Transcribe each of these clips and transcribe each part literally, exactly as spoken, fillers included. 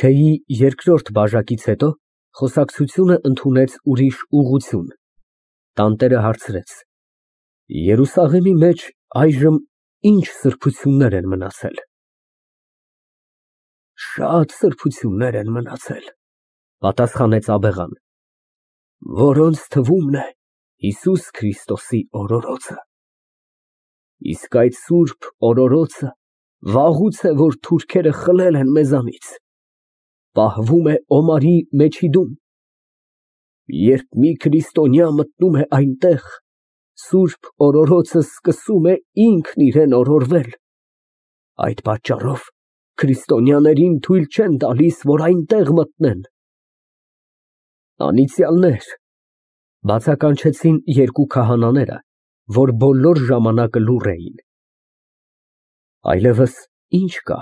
Թեյի երկրորդ բաժակից հետո խոսակցությունը ընդունեց ուրիշ ուղղություն, տանտերը հարցրեց. Երուսաղեմի մեջ այժմ ի՞նչ սրբություններ են մնացել։ Շատ սրբություններ են մնացել, պատասխանեց աբեղան, որոնց թվում է Հիսուս Քրիստոսի օրորոցը։ Իսկ այդ սուրբ օրորոցը վաղուց է, որ թուրքերը խլել են մեզանից, պահվում է Օմարի մեջիդում։ Երբ մի քրիստոնյա մտնում է այնտեղ, սուրբ օրորոցը սկսում է ինքն իրան օրորվել։ Այդ պատճառով քրիստոնյաներին թույլ չեն տալիս, որ այնտեղ մտնեն։ Անիծյալներ, բացականչեցին երկու քահանաները, որ բոլոր ժամանակը լուռ էին։ Այլևս ի՞նչ կա,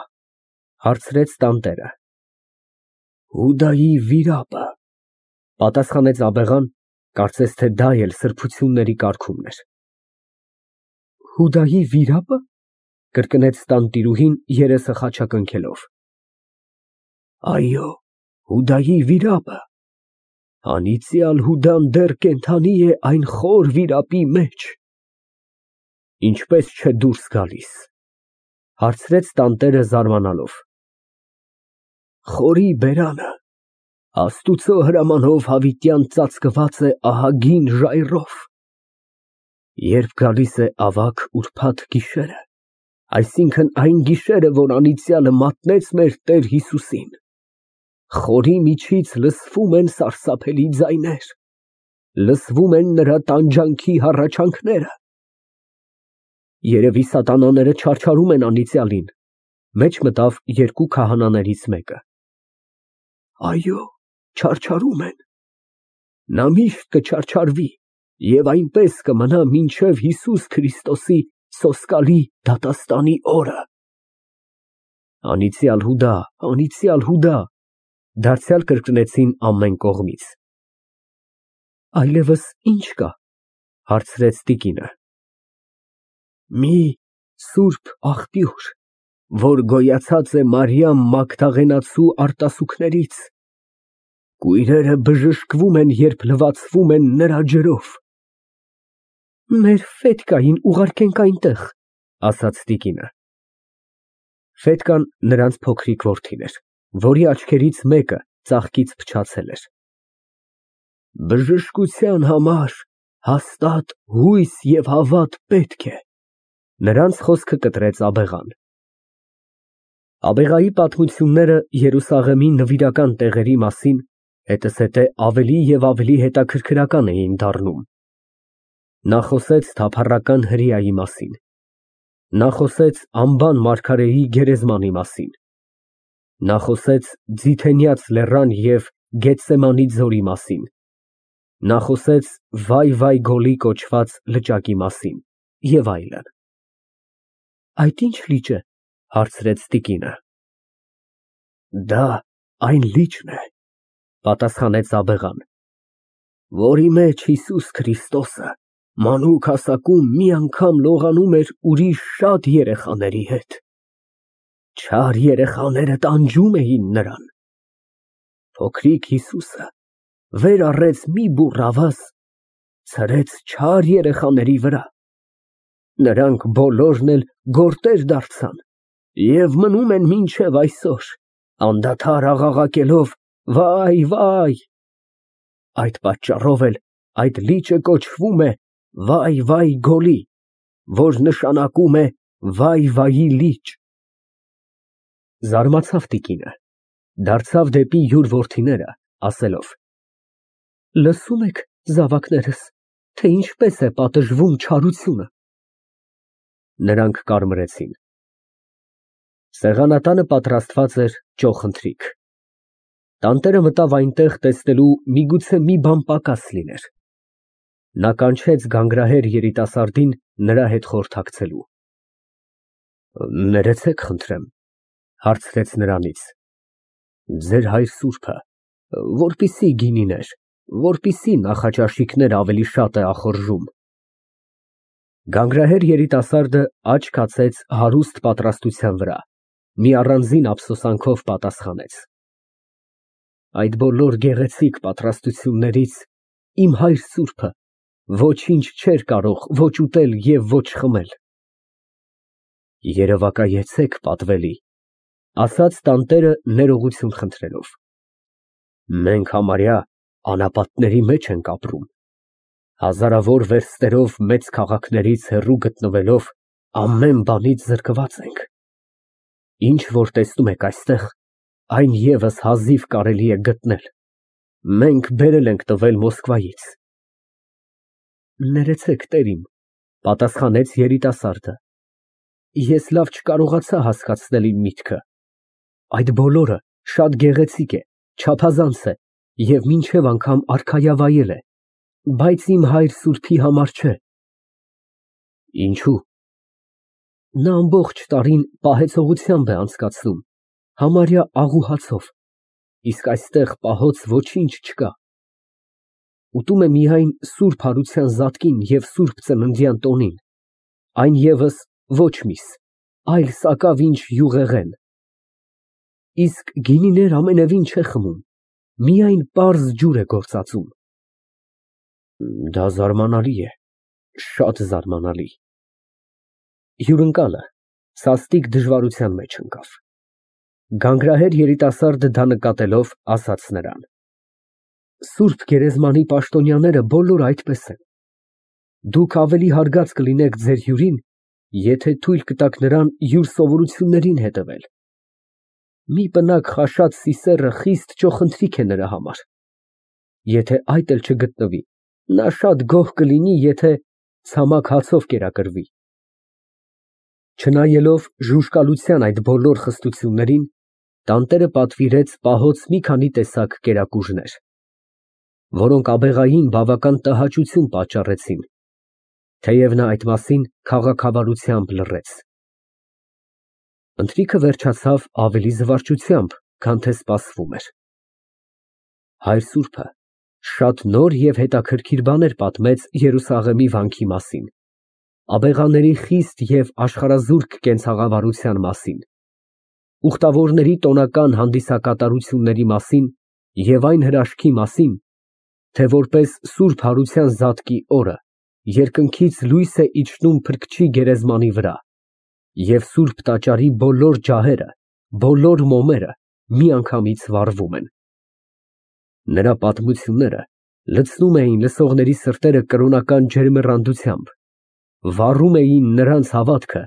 հարցրեց տանտերը։ Հուդայի վիրապը, պատասխանեց աբեղան, կարծես թե դա էլ սրբությունների կարգումն էր։ Հուդայի վիրապը, կրկնեց տանտիրուհին երեսը խաչակնքելով։ Այո, Հուդայի վիրապը, անիծյալ Հուդան դեռ կենդանի է այն խոր վիրապի մեջ։ Ինչպես չէ դուրս գալիս, հարցրեց տանտերը զարմանալով։ Խորի բերանը Աստուծո հրամանով հավիտյան ծածկված է ահագին ժայռով։ Երբ գալիս է ավագ ուրբաթ գիշերը, այսինքն այն գիշերը, որ անիծյալը մատնեց մեր Տեր Հիսուսին, խորի միջից լսվում են սարսափելի ձայներ, լսվում են նրա տանջանքի հառաչանքները։ Երևի սատանաները չարչարում են անիծյալին, մեջ մտավ երկու քահանաներից մեկը։ Այո, չարչարում են։ Նա միշտ կչարչարվի և այնպես կմնա մինչև Հիսուս Քրիստոսի սոսկալի դատաստանի օրը։ Անիծյալ Հուդա, անիծյալ Հուդա, դարձյալ կրկնեցին ամեն կողմից։ Այլևս ի՞նչ կա, հարցրեց տիկինը։ Մի սուրբ աղբյուր, որ գոյացած է Մարիամ Մագդաղենացու արտասուքներից, կույրերը բժշկվում են, երբ լվացվում են նրա ջրով։ Մեր Ֆետկային ուղարկենք այնտեղ, ասաց տիկինը։ Ֆետկան նրանց փոքրիկ որդին էր, որի աչքերից մեկը ծաղկից փչացել էր։ Բժշկության համար հաստատ հույս և հավատ պետք է, նրանց խոսքը կտրեց աբեղան։ Աբեղայի պատմությունները Երուսաղեմի նվիրական տեղերի մասին հետզհետե ավելի և ավելի հետաքրքրական էին դառնում։ Նա խոսեց թափառական հրեայի մասին։ Նա խոսեց անբան մարգարեի գերեզմանի մասին։ Նա խոսեց Ձիթենյաց լեռան և Գեթսեմանի ձորի մասին։ Նա խոսեց Վայ-Վայ Գոլի կոչված լճակի մասին և այլն։ Այդ ի՞նչ լիճ է, հարցրեց տիկինը։ Դա այն լիճն է, պատասխանեց աբեղան, որի մեջ Հիսուս Քրիստոսը մանուկ հասակում մի անգամ լողանում էր ուրիշ շատ երեխաների հետ։ Չար երեխաները տանջում էին նրան։ Փոքրիկ Հիսուսը վեր առեց մի բուռ ավազ, ցրեց չար երեխաների վրա։ Նրանք բոլորն էլ գորտեր դարձան և մնում են մինչև այսօր, անդադար աղաղակելով «Վայ, վայ»։ Այդ պատճառով էլ այդ լիճը կոչվում է Վայ֊Վայ Գոլի, որ նշանակում է վայ֊վայի լիճ։ Զարմացավ տիկինը, դարձավ դեպի յուր որդիները, ասելով. Լսո՞ւմ եք, զավակներս, թե ինչպես է պատժվում չարությունը։ Նրանք կարմրեցին։ Սեղանատանը պատրաստված էր ճոխընթրիք։ Տանտերը մտավ այնտեղ տեսնելու միգուցե մի բան պակաս լիներ։ Նա կանչեց գանգրահեր երիտասարդին նրա հետ խորհրդակցելու։ Ներեցեք խնդրեմ, հարցրեց նրանից, ձեր հայր սուրբը, որպիսի գինիներ, որպիսի նախաճաշիկներ ավելի շատ է ախորժում։ Գանգրահեր երիտասարդը աչք կացեց հարուստ պատրաստության վրա, մի առանձին ափսոսանքով պատասխանեց։ այդ բոլոր գեղեցիկ պատրաստություններից իմ հայր սուրբը ոչինչ չէր կարող ոչ ուտել և ոչ խմել։ Երևակայեցեք, պատվելի, ասաց տանտերը ներողություն խնդրելով, մենք համարյա անապատների մեջ ենք ապրում, հազարավոր վերստերով մեծ քաղաքներից հեռու գտնվելով ամեն բանից զրկված ենք, ինչ որ տեսնում եք այստեղ, այն ևս հազիվ կարելի է գտնել, մենք բերել ենք տվել Մոսկվայից։ Ներեցեք, տերիմ, պատասխանեց երիտասարդը, ես լավ չկարողացա հասկացնել իմ միտքը, այդ բոլորը շատ գեղեցիկ է, չափազանց է և մինչև անգամ արքայավայել է, բայց իմ հայր սուրբի համար չէ։ Ինչո՞ւ։ Նա ամբողջ տարին պահեցողությամբ է անցկացնում, համարյա աղուհացով, իսկ այստեղ պահոց ոչինչ չկա։ Ուտում է միայն սուրբ հարության զատկին և սուրբ ծննդյան տոնին, այն ևս ոչ միս, այլ սակավ ինչ յուղեղեն, իսկ գինիներ ամենևին չէ խմում, միայն պարզ ջուր է գործածում։ Դա զարմանալի է, շատ զարմանալի։ Հյուրընկալը սաստիկ դժվարության մեջ ընկավ։ Գանգրահեր երիտասարդը դա նկատելով, ասաց նրան. Սուրբ գերեզմանի պաշտոնյաները բոլորը այդպես են։ Դուք ավելի հարգած կլինեք ձեր հյուրին, եթե թույլ կտաք նրան յուր սովորություններին հետևել։ Մի պնակ խաշած սիսեռը խիստ ճոխընթրիկ է նրա համար։ Եթե այդ էլ չգտնվի, նա շատ գոհ կլինի, եթե ցամաք հացով կերակրվի։ Չնայելով ժուժկալության այդ բոլոր խստություններին, տանտերը պատվիրեց պահոց մի քանի տեսակ կերակուրներ, որոնք աբեղային բավական տհաճություն պատճառեցին, թեև նա այդ մասին քաղաքավարությամբ լռեց։ Ընթրիքը վերջացավ ավելի զվարճությամբ, քան թե սպասվում էր։ Հայր սուրբը շատ նոր և հետաքրքիր բաներ պատմեց Երուսաղեմի վանքի մասին, աբեղաների խիստ և աշխարհազուրկ կենցաղավարության մասին, ուխտավորների տոնական հանդիսակատարությունների մասին և այն հրաշքի մասին, թե որպես սուրբ հարության զատկի օրը երկնքից լույս է իջնում Փրկչի գերեզմանի վրա, և սուրբ տաճարի բոլոր ջահերը, բոլոր մոմերը միանգամից վառվում են։ Նրա պատմությունները լցնում էին լսողների սրտերը կրոնական ջերմեռանդությամբ, վառում էին նրանց հավատքը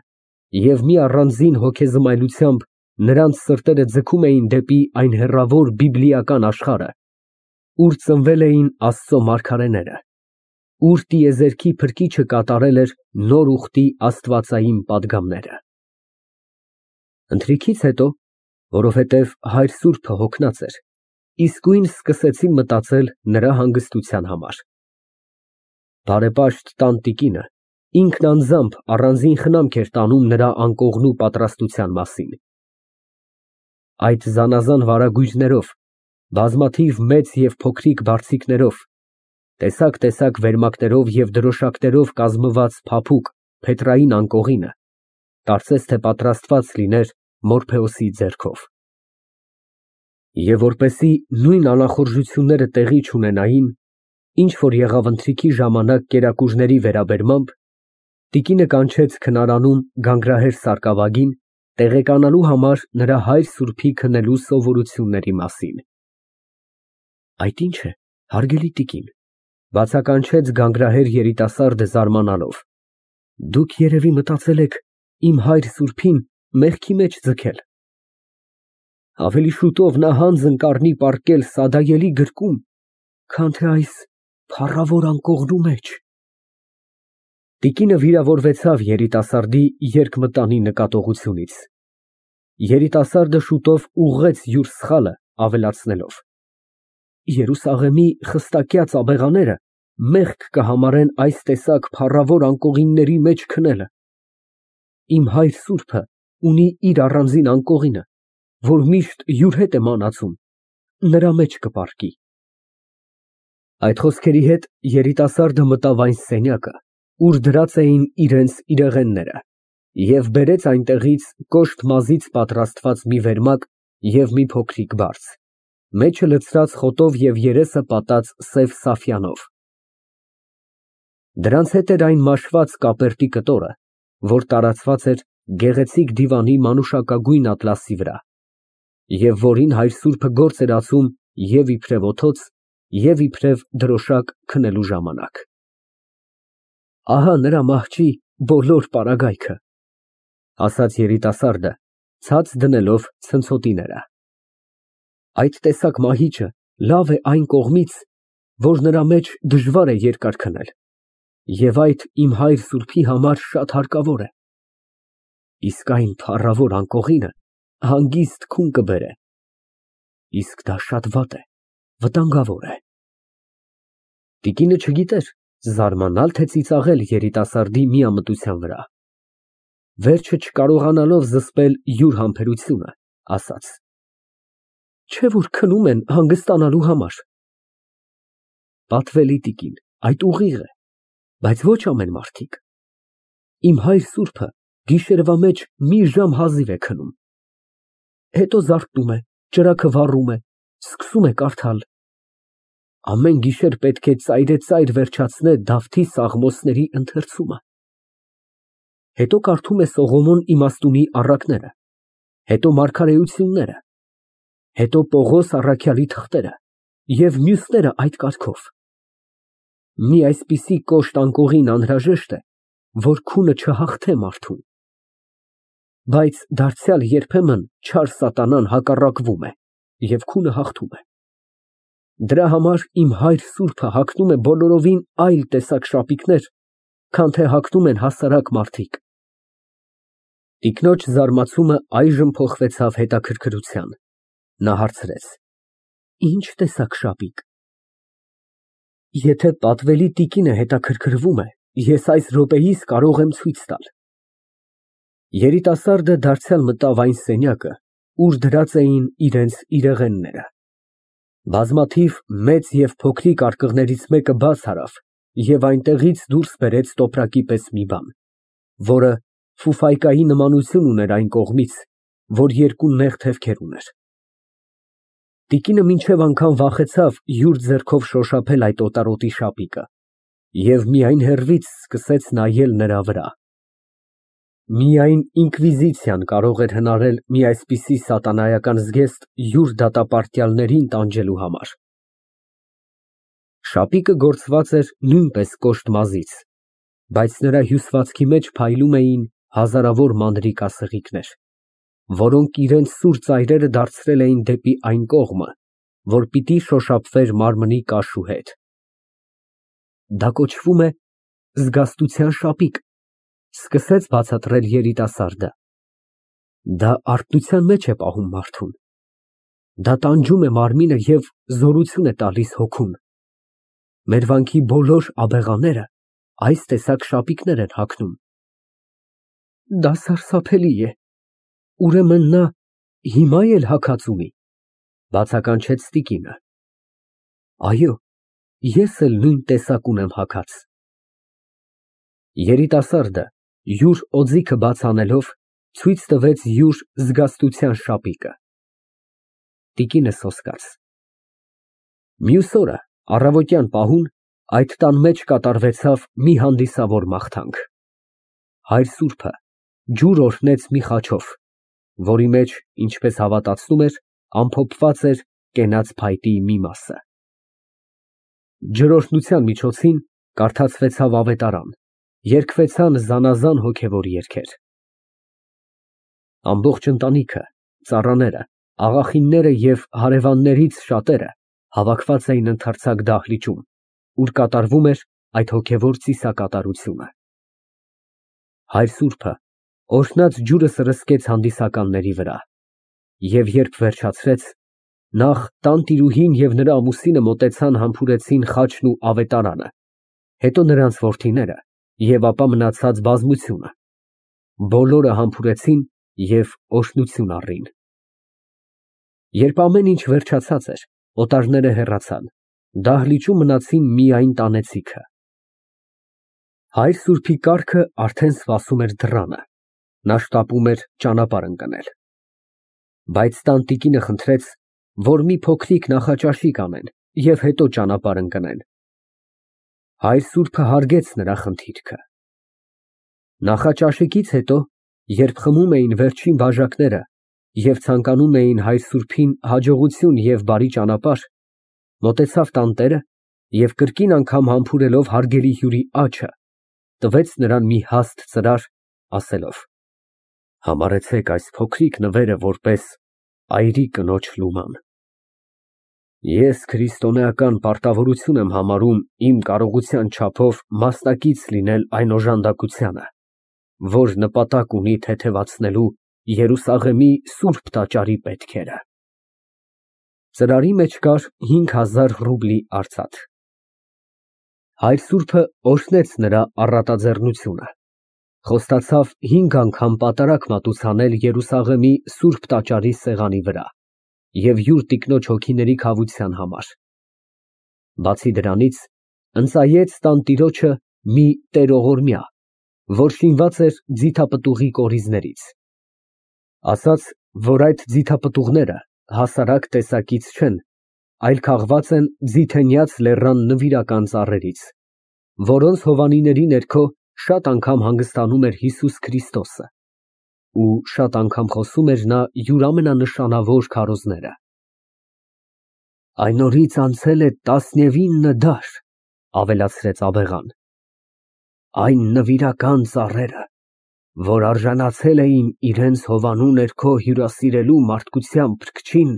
և մի առանձին հոգեզմայլությամբ նրանց սրտերը ձգում էին դեպի այն հեռավոր բիբլիական աշխարհը, ուր ծնվել էին Աստծո մարգարեները, ուր տիեզերքի Փրկիչը կատարել էր նոր ուխտի աստվածային պատգամները։ Ընթրիքից հետո, որովհետև հայր սուրբը հոգնած էր, իսկույն սկսեցին մտածել նրա հանգստության համար։ Բարեպաշտ տանտիկինը ինքն անձամբ առանձին խնամք էր տանում նրա անկողնու պատրաստության մասին։ Այդ զանազան վարագույրներով, բազմաթիվ մեծ և փոքրիկ բարձիկներով, տեսակ֊տեսակ վերմակներով և դրոշակներով կազմված փափուկ, փետրային անկողինը կարծես թե պատրաստված լիներ Մորփեոսի ձեռքով։ Եվ որպեսզի նույն անախորժությունները տեղի չունենային, ինչ որ եղավ ընթրիքի ժամանակ կերակուրների վերաբերմամբ, տիկինը կանչեց քնարանում գանգրահեր սարկավագին, տեղեկանալու համար նրա հայր սուրբի քնելու սովորությունների մասին։ Այդ ի՞նչ է, հարգելի տիկին, բացականչեց գանգրահեր երիտասարդը զարմանալով, դուք երևի մտածել եք իմ հայր սուրբին մեղքի մեջ ձգել։ Ավելի շուտով նա հանձն կառնի պառկել սադայելի գրկում, քան թե այս փառավոր անկողնու մեջ։ Տիկինը վիրավորվեցավ երիտասարդի երկմտանի նկատողությունից։ Երիտասարդը շուտով ուղղեց յուր սխալը, ավելացնելով. Երուսաղեմի խստակյաց աբեղաները մեղք կհամարեն այս տեսակ փառավոր անկողինների մեջ քնելը։ Իմ հայր սուրբը ունի իր առանձին անկողինը, որ միշտ յուր հետ է մանածում, նրա մեջ կպառկի։ Այդ խոսքերի հետ երիտասարդը մտավ այն սենյակը, ուր դրած էին իրենց իրեղենները, և բերեց այնտեղից կոշտ մազից պատրաստված մի վերմակ և մի փոքրիկ բարձ, մեջը լցրած խոտով և երեսը պատած սև սաֆյանով։ Դրանց հետ էր այն մաշված կապերտի կտորը, որ տարածված էր գեղեցիկ դիվանի մանուշակագույն ատլասի վրա, և որին հայր սուրբը գործ էր ածում և իբրև օդոց, և իբրև դրոշակ քնելու ժամանակ։ Ահա նրա մահճի բոլոր պարագայքը, ասաց երիտասարդը, ցած դնելով ցնցոտիները։ Այդ տեսակ մահիճը լավ է այն կողմից, որ նրա մեջ դժվար է երկար քնել, և այդ իմ հայր սուրբի համար շատ հարկավոր է, իսկ այն փառավոր անկողինը հանգիստ քուն կբերե, իսկ դա շատ վատ է, վտանգավոր է։ Տիկինը չգիտեր զարմանալ, թե ծիծաղել երիտասարդի միամտության վրա, վերջը չկարողանալով զսպել յուր համբերությունը, ասաց. Չէ՞ որ քնում են հանգստանալու համար։ Պատվելի տիկին, այդ ուղիղ է, բայց ոչ ամեն մարդիկ։ Իմ հայր սուրբը գիշերվա մեջ մի ժամ հազիվ է քնում, հետո զարթնում է, ճրագը վառում է, սկսում է կարդալ։ Ամեն գիշեր պետք է ծայրեծայր վերջացնե Դավթի Սաղմոսների ընթերցումը, հետո կարդում է Սողոմոն իմաստունի առակները, հետո մարգարեությունները, հետո Պողոս առաքյալի թղթերը և մյուսները այդ կարգով։ Մի այսպիսի կոշտ անկողին անհրաժեշտ է, որ քունը չհաղթե մարդուն։ Բայց դարձյալ երբեմն չար սատանան հակառակվում է և քունը հաղթում է։ Դրա համար իմ հայր սուրբը հագնում է բոլորովին այլ տեսակ շապիկներ, քան թե հագնում են հասարակ մարդիկ։ Տիկնոջ զարմացումը այժմ փոխվեցավ հետաքրքրության, նա հարցրեց. Ինչ տեսակ շապիկ։ Եթե պատվելի տիկինը հետաքրքրվում է, ես այս րոպեիս կարող եմ ցույց տալ։ Երիտասարդը դարձյալ մտավ այն սենյակը, ուր դրած էին իրենց իրեղենները։ Բազմաթիվ մեծ և փոքրիկ արկղներից մեկը բաց արավ և այնտեղից դուրս բերեց տոպրակի պես մի բան, որը ֆուֆայկայի նմանություն ուներ այն կողմից, որ երկու նեղ թևքեր ուներ։ Տիկինը մինչև անգամ վախեցավ յուր ձեռքով շոշափել այդ օտարոտի շապիկը և միայն հեռվից սկսեց նայել նրա վրա։ Միայն ինկվիզիցիան կարող էր հնարել մի այսպիսի սատանայական զգեստ յուր դատապարտյալներին տանջելու համար։ Շապիկը գործված էր նույնպես կոշտ մազից, բայց նրա հյուսվածքի մեջ փայլում էին հազարավոր մանրիկ ասեղիկներ, որոնք իրենց սուր ծայրերը դարձրել էին դեպի այն կողմը, որ պիտի շոշափվեր մարմնի կաշու հետ։ Դա կոչվում է զգաստության շապիկ, սկսեց բացատրել երիտասարդը։ Դա արթնության մեջ է պահում մարդուն։ Դա տանջում է մարմինը և զորություն է տալիս հոգուն։ Մեր վանքի բոլոր աբեղաները այս տեսակ շապիկներ են հագնում։ Դա սարսափելի է, ուրեմն նա հիմա էլ հագած ունի, բացականչեց տիկինը։ Այո, ես էլ նույն տեսակ ունեմ հագած։ Երիտասարդը յուր օձիքը բաց անելով ցույց տվեց յուր զգաստության շապիկը։ Տիկինը սոսկաց։ Մյուս օրը առավոտյան պահուն այդ տան մեջ կատարվեցավ մի հանդիսավոր մաղթանք։ Հայր սուրբը ջուր օրհնեց մի խաչով, որի մեջ, ինչպես հավատացնում էր, ամփոփված էր կենաց փայտի մի մասը։ Ջրօրհնության միջոցին կարդացվեցավ ավետարան, երգվեցան զանազան հոգևոր երգեր։ Ամբողջ ընտանիքը, ծառաները, աղախինները և հարևաններից շատերը հավաքված էին ընդարձակ դահլիճում, ուր կատարվում էր այդ հոգևոր ծիսակատարությունը։ Հայր սուրբը օրհնած ջուրը սրսկեց հանդիսականների վրա, և երբ վերջացրեց, նախ տանտիրուհին և նրա ամուսինը մոտեցան համբուրեցին խաչն ու ավետարանը, հետո նրանց որդիները և ապա մնացած բազմությունը, բոլորը համբուրեցին և օրհնություն առին։ Երբ ամեն ինչ վերջացած էր, օտարները հեռացան, դահլիճում մնացին միայն տանեցիքը։ Հայր սուրբի կառքը արդեն սպասում էր դռանը, նա շտապում էր ճանապարհ ընկնել։ Բայց տան տիկինը խնդրեց, որ մի փոքրիկ նախաճաշիկ անեն և հետո ճանապարհ ընկնեն։ Հայր սուրբը հարգեց նրա խնդիրքը։ Նախաճաշիկից հետո, երբ խմում էին վերջին բաժակները և ցանկանում էին հայր սուրբին հաջողություն և բարի ճանապարհ, մոտեցավ տանտերը և կրկին անգամ համբուրելով հարգելի հյուրի աջը, տվեց նրան մի հաստ ծրար, ասելով. «Համարեցեք այս փոքրիկ նվերը որպես այրի կնոջ լուման։ Ես քրիստոնեական պարտավորություն եմ համարում իմ կարողության չափով մասնակից լինել այն օժանդակությանը, որ նպատակ ունի թեթևացնելու Երուսաղեմի սուրբ տաճարի պետքերը»։ Ծրարի մեջ կար հինգ հազար ռուբլի արծաթ։ Հայր սուրբը օրհնեց նրա առատաձեռնությունը, խոստացավ հինգ անգամ պատարագ մատուցանել Երուսաղեմի սուրբ տաճարի սեղանի վրա և յուր տիկնոջ հոգիների քավության համար։ Բացի դրանից, ընծայեց տանտիրոջը մի տերողորմյա, որ շինված էր ձիթապտուղի կորիզներից, ասաց, որ այդ ձիթապտուղները հասարակ տեսակից չեն, այլ քաղված են Ձիթենյաց լեռան նվիրական ծառերից, որոնց հովանիների ներքո շատ անգամ հանգստանում էր Հիսուս Քրիստոսը ու շատ անգամ խոսում էր նա յուր ամենանշանավոր քարոզները։ Այն օրից անցել է տասնևինը դար, ավելացրեց աբեղան, այն նվիրական ծառերը, որ արժանացել էին իրենց հովանու ներքո հյուրասիրելու մարդկության փրկչին,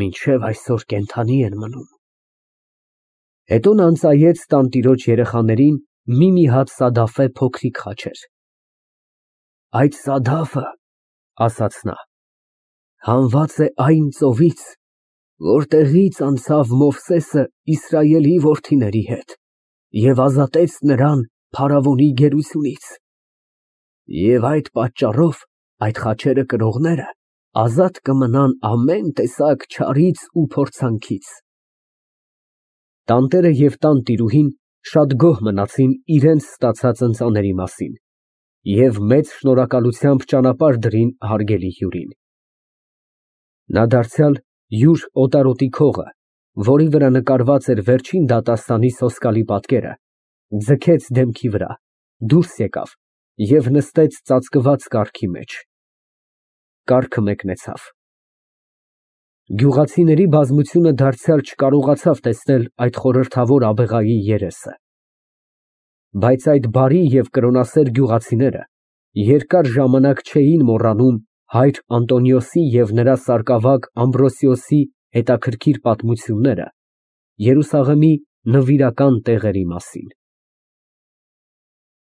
մինչև այսօր կենդանի են մնում։ Հետո նա ընծայեց տանտիրոջ երեխաներին մի֊մի հատ սադաֆե փոքրիկ խաչեր։ Այդ սադաֆը, ասաց նա, հանված է այն ծովից, որտեղից անցավ Մովսեսը Իսրայելի որդիների հետ և ազատեց նրան փարավոնի գերությունից, և այդ պատճառով այդ խաչերը կրողները ազատ կմնան ամեն տեսակ չարից ու փորձանքից։ Տանտերը և տանտիրուհին շատ գոհ մնացին իրենց ստացած ընծաների մասին և մեծ շնորհակալությամբ ճանապարհ դրին հարգելի հյուրին։ Նա դարձյալ յուր օտարոտի քողը, որի վրա նկարված էր վերջին դատաստանի սոսկալի պատկերը, ձգեց դեմքի վրա, դուրս եկավ և նստեց ծածկված կառքի մեջ։ Կառքը մեկնեցավ։ Գյուղացիների բազմությունը դարձյալ չկարողացավ տեսնել այդ խորհրդավոր աբեղայի երեսը։ Բայց այդ բարի և կրոնասեր գյուղացիները երկար ժամանակ չէին մոռանում հայր Անտոնիոսի և նրա սարկավագ Ամբրոսիոսի հետաքրքիր պատմությունները Երուսաղեմի նվիրական տեղերի մասին։